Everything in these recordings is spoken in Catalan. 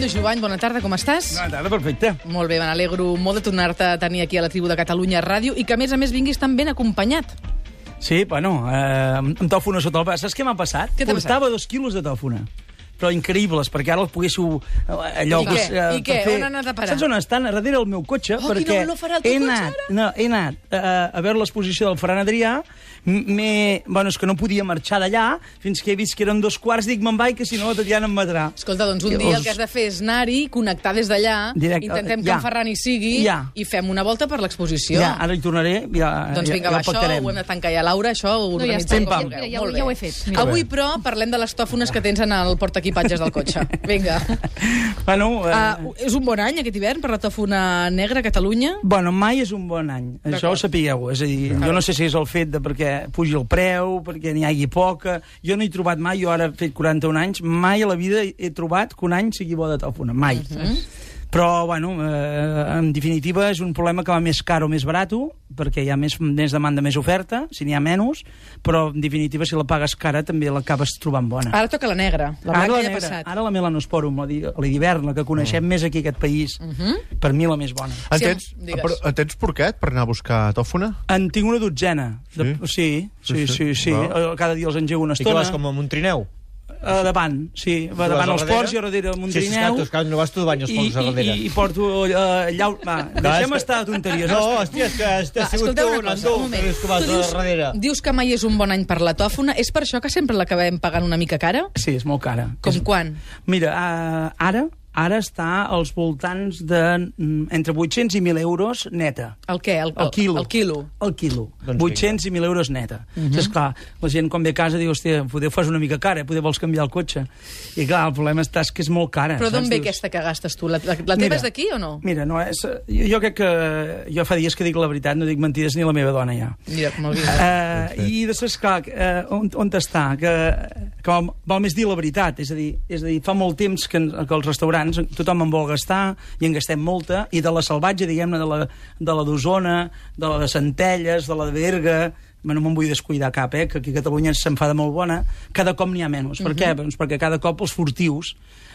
Fernando Jovany, bona tarda, com estàs? Bona tarda, perfecte. Molt bé, me n'alegro molt de tornar-te a tenir aquí a la tribu de Catalunya Ràdio i que, a més vinguis tan ben acompanyat. Sí, bueno, amb tòfona sota el braç. Saps què m'ha passat? Què t'ha passat? Portava 2 quilos de tòfona. Però increïbles, perquè ara els poguéssiu... allò, I què? On han anat a parar? Saps on estan? A darrere del meu cotxe, perquè quina olor farà el teu cotxe, ara? he anat a veure l'exposició del Ferran Adrià, bueno, és que no podia marxar d'allà, fins que he vist que eren 2:15, dic, me'n vaig, que si no la Tatiana em matarà. Escolta, doncs un dia el que has de fer és anar-hi, connectar des d'allà, intentem que en Ferran hi sigui i fem una volta per l'exposició. Ja, ara hi tornaré, Doncs vinga, va, això ho hem de tancar ja, Laura, això ho organitzem com vulgueu. Ja ho he fet. Avui, però, parlem de les tòfones que tens en el portaequipatges del cotxe. Vinga. Bueno, és un bon any, aquest hivern, per la tòfona negra a Catalunya? Bueno, mai és un bon any. Això ho sapigueu. És a dir, jo no sé si és el fet de perquè pugi el preu, perquè n'hi hagi poca. Jo no he trobat mai, jo ara he fet 41 anys, mai a la vida he trobat que un any sigui bo de tòfona. Mai. Però, bueno, en definitiva, és un problema que va més car o més barat, perquè hi ha més demanda, més oferta, si n'hi ha menys, però, en definitiva, si la pagues cara, també l'acabes trobant bona. Ara toca la negra, la blanca ja ha passat. Ara la melanosporum, la d'hivern, la que coneixem més aquí, aquest país, per mi la més bona. En tens porquet per anar a buscar tòfona? En tinc una dotzena. Sí. Cada dia els engego una estona. I que vas com amb un trineu? Davant, sí. Va davant els ports i a darrere amb un trineu. Sí, no vas tu de bany els ports a darrere. I porto allà... Va, deixem estar de tonteries. No, hòstia, és que has sigut tu, Nando, que vas a darrere. Dius que mai és un bon any per la tòfona. És per això que sempre l'acabem pagant una mica cara? Sí, és molt cara. Com quan? Mira, ara està als voltants de entre 800 i 1.000 euros neta. El què? El quilo? El quilo. 800 i 1.000 euros neta. Esclar, la gent quan ve a casa diu, hòstia, poder fas una mica cara, poder vols canviar el cotxe. I clar, el problema és que és molt cara. Però d'on ve aquesta que gastes tu? La teva és d'aquí o no? Mira, no és... Jo crec que... Jo fa dies que dic la veritat, no dic mentides ni la meva dona ja. Mira, molt bé. I després, clar, on està? Que val més dir la veritat. És a dir, fa molt temps que els restaurants tothom en vol gastar i en gastem molta, i de la salvatge, diguem-ne, de la d'Osona, de la de Centelles, de la de Berga, no me'n vull descuidar cap, que aquí a Catalunya se'n fa de molt bona, cada cop n'hi ha menys. Per què? Doncs perquè cada cop els furtius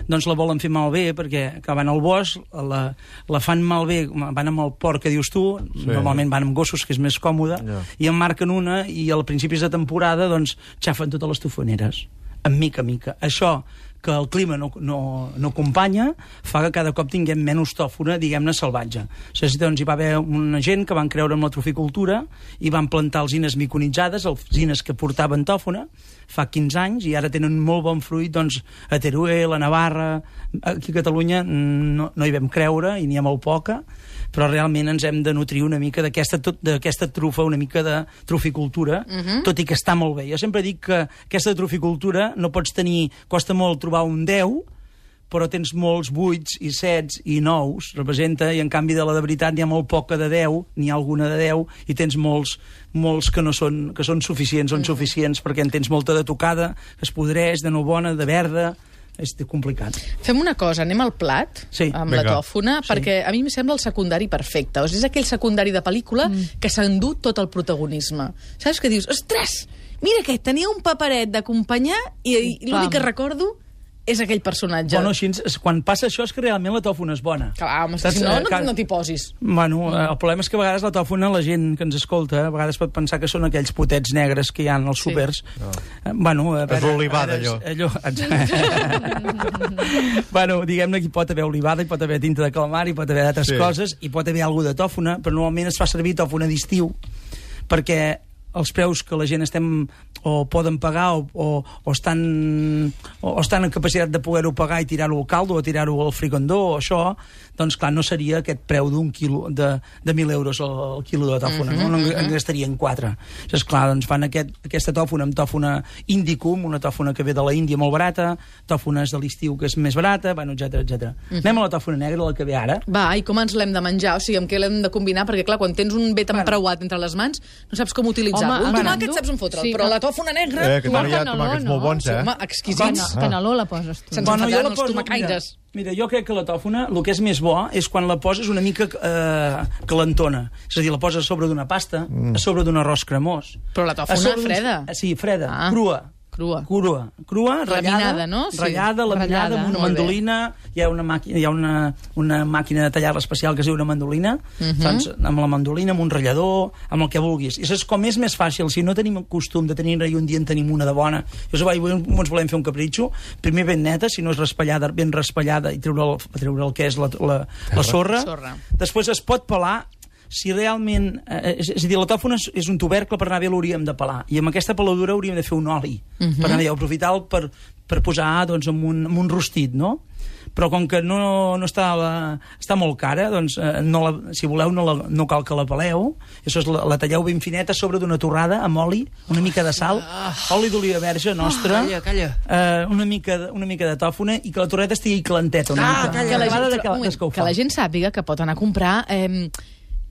la volen fer malbé, perquè van al bosc, la fan malbé, van amb el porc que dius tu, normalment van amb gossos, que és més còmode, i en marquen una, i al principis de temporada xafen totes les tofoneres, en mica a mica. Això que el clima no acompanya, fa que cada cop tinguem menys tòfona, diguem-ne, salvatge. Doncs hi va haver una gent que van creure en la troficultura i van plantar alzines miconitzades, alzines que portaven tòfona, fa 15 anys, i ara tenen molt bon fruit, a Teruel, a Navarra, aquí a Catalunya no hi vam creure, i n'hi ha molt poca, però realment ens hem de nutrir una mica d'aquesta trufa, una mica de troficultura, tot i que està molt bé. Jo sempre dic que aquesta troficultura no pots tenir, costa molt trobar un 10, però tens molts 8 i 7 i 9, representa, i en canvi de la de veritat n'hi ha molt poca de 10, n'hi ha alguna de 10, i tens molts que són suficients o insuficients, perquè en tens molta de tocada, que es podreix, de no bona, de verda. És complicat. Fem una cosa, anem al plat amb la tòfona, perquè a mi em sembla el secundari perfecte. És aquell secundari de pel·lícula que s'endú tot el protagonisme. Saps que dius, ostres, mira aquest, tenia un paperet d'acompanyar i l'únic que recordo és aquell personatge. Bueno, així, quan passa això és que realment la tòfona és bona. Clar, home, si no t'hi posis. Bueno, el problema és que a vegades la tòfona, la gent que ens escolta, a vegades pot pensar que són aquells potets negres que hi ha als súpers. Bueno, és l'olivada, allò. Bueno, diguem-ne que hi pot haver olivada, hi pot haver tinta de calamar, hi pot haver d'altres coses, hi pot haver alguna de tòfona, però normalment es fa servir tòfona d'estiu, perquè els preus que la gent o poden pagar o estan en capacitat de poder-ho pagar i tirar-ho al caldo o tirar-ho al frigondó o això, doncs clar, no seria aquest preu d'un quilo de 1.000 euros el quilo de tòfona, no en gastarien 4. És clar, doncs fan aquesta tòfona amb tòfona indicum, una tòfona que ve de la Índia molt barata, tòfones de l'estiu que és més barata, bueno, etcètera. Anem a la tòfona negra, la que ve ara. Va, i com ens l'hem de menjar? O sigui, amb què l'hem de combinar? Perquè clar, quan tens un bé tan preuat entre les mans, no saps com utilitzar-lo. Un tomàquet saps on fotre'l, però la tòfona negra... Que també hi ha tomàquets molt bons, Home, exquisits. Caneló la poses tu. Se'ns enfadaran els tomacaires. Mira, jo crec que la tòfona, el que és més bo és quan la poses una mica calentona. És a dir, la poses a sobre d'una pasta, a sobre d'un arròs cremós. Però la tòfona freda. Sí, freda, crua. Crua, ratllada, no? Laminada, amb una mandolina. Hi ha una màquina de tallar especial que es diu una mandolina. Doncs amb la mandolina, amb un ratllador, amb el que vulguis. I és com és més fàcil, si no tenim costum de tenir-ne i un dia en tenim una de bona, ens volem fer un capritxo, primer ben neta, si no és raspallada, ben raspallada, i treure el que és la sorra. Després es pot pelar. Si realment... És a dir, la tòfona és un tubercle, per anar bé l'hauríem de pelar. I amb aquesta peladura hauríem de fer un oli. Per anar bé, aprofitar-lo per posar en un rostit, no? Però com que no està molt cara, doncs, si voleu, no cal que la peleu. Això és, la talleu ben fineta sobre d'una torrada amb oli, una mica de sal, oli d'oliva verge nostra, una mica de tòfona, i que la torreta estigui calenteta. Que la gent sàpiga que pot anar a comprar...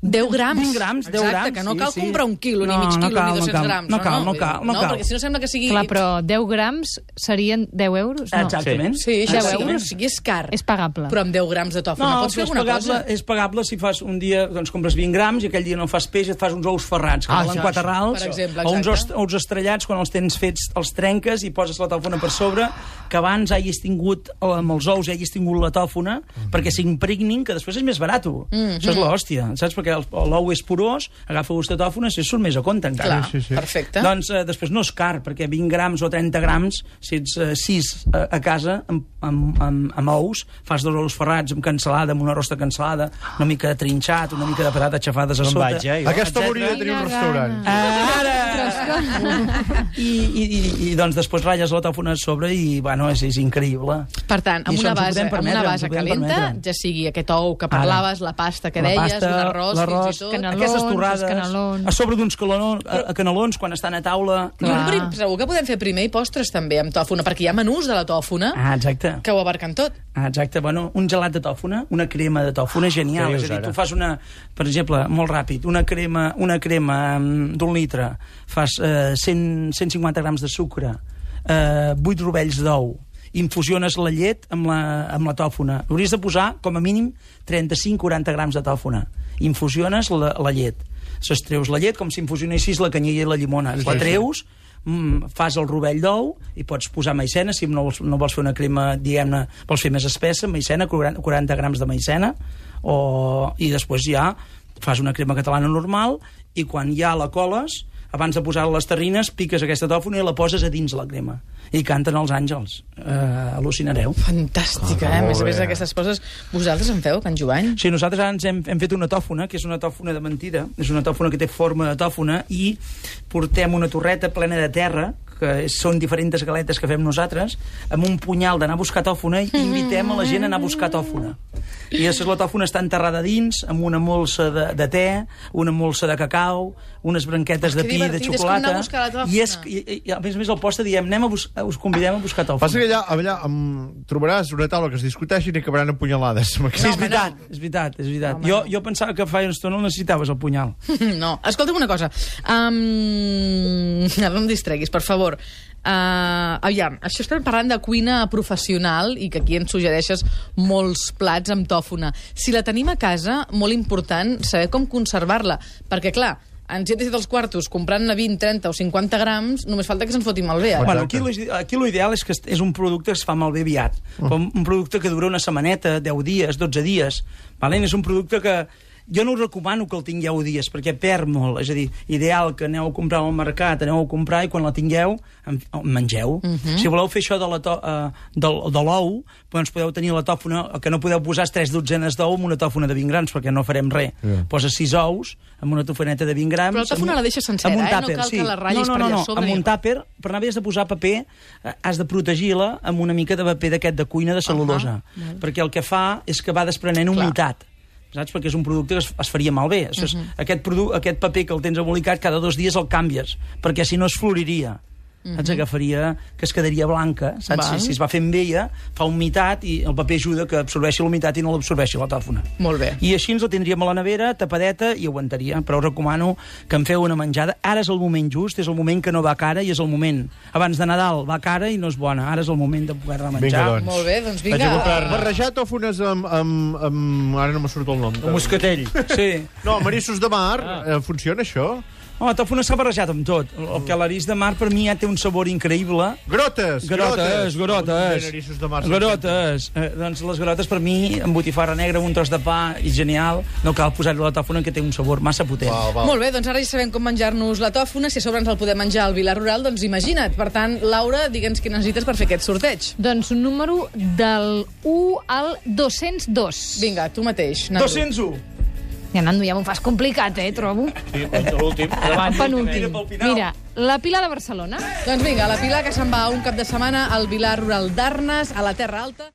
10 grams. 20 grams, 10 grams. Que no cal comprar un quilo, ni mig quilo, ni 200 grams. No cal. Perquè si no sembla que sigui... Clar, però 10 grams serien 10 euros? No. Exactament. Sí, 10 euros. O sigui, és car. És pagable. Però amb 10 grams de tòfona pots fer alguna cosa? És pagable si fas un dia, doncs compres 20 grams i aquell dia no fas peix i et fas uns ous ferrats, que valen 4 rals, o uns ous estrellats, quan els tens fets els trenques i poses la tòfona per sobre, que abans hagis tingut, amb els ous hagis tingut la tòfona, perquè s'impregnin, que després és més barat. Això és l'hòstia, saps? Perquè l'ou és porós, agafa vostè tòfona, si surt més a compte encara. Clar, perfecte. Doncs després no és car, perquè 20 grams o 30 grams, si ets 6 a casa, amb ous, fas 2 ous ferrats amb cansalada, amb una rosta cansalada, una mica de trinxat, una mica de patates xafades a sota. Aquesta hauria de tenir un restaurant. Ara! I doncs després ratlles la tòfona a sobre i, bueno, és increïble. Per tant, amb una base calenta, ja sigui aquest ou que parlaves, la pasta que deies, un arròs, fins i tot... Aquestes torrades, a sobre d'uns canelons, quan estan a taula... Segur que podem fer primer i postres també amb tòfona, perquè hi ha menús de la tòfona que ho abarquen tot. Exacte, bueno, un gelat de tòfona, una crema de tòfona genial. És a dir, tu fas per exemple, molt ràpid, una crema d'1 litre, fas 150 grams de sucre, 8 rovells d'ou, infusiones la llet amb la tòfona. Hauries de posar, com a mínim, 35-40 grams de tòfona. Infusiones la llet. S'estreus la llet com si infusionessis la canyella i la llimona. La treus, fas el rovell d'ou i pots posar maicena, si no vols fer una crema, diguem-ne, vols fer més espessa, maicena, 40 grams de maicena, i després ja fas una crema catalana normal, i quan ja la coles, abans de posar les terrines, piques aquesta tòfona i la poses a dins la crema. I canten els àngels. Al·lucinareu. Fantàstica, A més a més d'aquestes coses, vosaltres en feu, Can Jovany? Sí, nosaltres ara hem fet una tòfona, que és una tòfona de mentida, és una tòfona que té forma de tòfona, i portem una torreta plena de terra, que són diferents galetes que fem nosaltres, amb un punyal d'anar a buscar tòfona, i invitem a la gent a anar a buscar tòfona. I després la tòfona està enterrada dins, amb una molsa de te, una molsa de cacau, unes branquetes de pi, de xocolata, i a més el posta diem, us convidem a buscar tòfona. Passa que allà trobaràs una taula que es discuteixin i acabaran empunyalades. Sí, és veritat. Jo pensava que fa una estona necessitaves el punyal. No, escolta'm una cosa. Ara no em distreguis, per favor. Aviam, això estem parlant de cuina professional i que aquí ens suggereixes molts plats amb tòfona. Si la tenim a casa, molt important saber com conservar-la, perquè clar, ens hem de fer els quartos comprant-ne 20, 30 o 50 grams, només falta que se'n foti malbé. Bueno, aquí l'ideal és que és un producte que es fa malbé aviat. Un producte que dura una setmaneta, 10 dies, 12 dies. És un producte que jo no us recomano que el tingueu dies, perquè perd molt. És a dir, ideal que aneu a comprar al mercat, aneu a comprar i quan la tingueu, mengeu. Si voleu fer això de l'ou, doncs podeu tenir la tòfona, que no podeu posar 3 dotzenes d'ou amb una tòfona de 20 grams, perquè no farem res. Poses 6 ous amb una tofoneta de 20 grams... Però la tòfona la deixes sencera, no cal que la ratllis per allà sobre. Amb un tàper, per anar bé has de posar paper, has de protegir-la amb una mica de paper d'aquest de cuina de cel·lulosa, perquè el que fa és que va desprenent humitat. Saps? Perquè és un producte que es faria malbé. Aquest paper que el tens embolicat, cada 2 dies el canvies, perquè si no es floriria. Ens agafaria, que es quedaria blanca, saps? Si es va fent vella, fa humitat i el paper ajuda que absorbeixi l'humitat i no l'absorbeixi la tòfona. Molt bé. I així ens la tindríem a la nevera, tapadeta, i aguantaria. Però us recomano que en feu una menjada. Ara és el moment just, és el moment que no va cara i és el moment. Abans de Nadal va cara i no és bona. Ara és el moment de poder-la menjar. Vinga, doncs. Molt bé, doncs vinga. Barrejar tòfones amb... Ara no me surt el nom. El moscatell. Sí. No, marissos de mar. Funciona això? La tòfona s'ha barrejat amb tot. El calarís de mar, per mi, ja té un sabor increïble. Grotes! Grotes. Doncs les grotes, per mi, amb botifarra negra, un tros de pa, i genial. No cal posar-hi la tòfona, que té un sabor massa potent. Molt bé, doncs ara ja sabem com menjar-nos la tòfona. Si a sobre ens el podem menjar al Vilar Rural, doncs imagina't. Per tant, Laura, digue'ns què necessites per fer aquest sorteig. Doncs un número del 1 al 202. Vinga, tu mateix, Nando. 201. Ja, Nando, ja m'ho fas complicat, trobo. Sí, l'últim. Penúltim. Mira, la Pilar de Barcelona. Doncs vinga, la Pilar, que se'n va un cap de setmana al Vilar Rural d'Arnes, a la Terra Alta.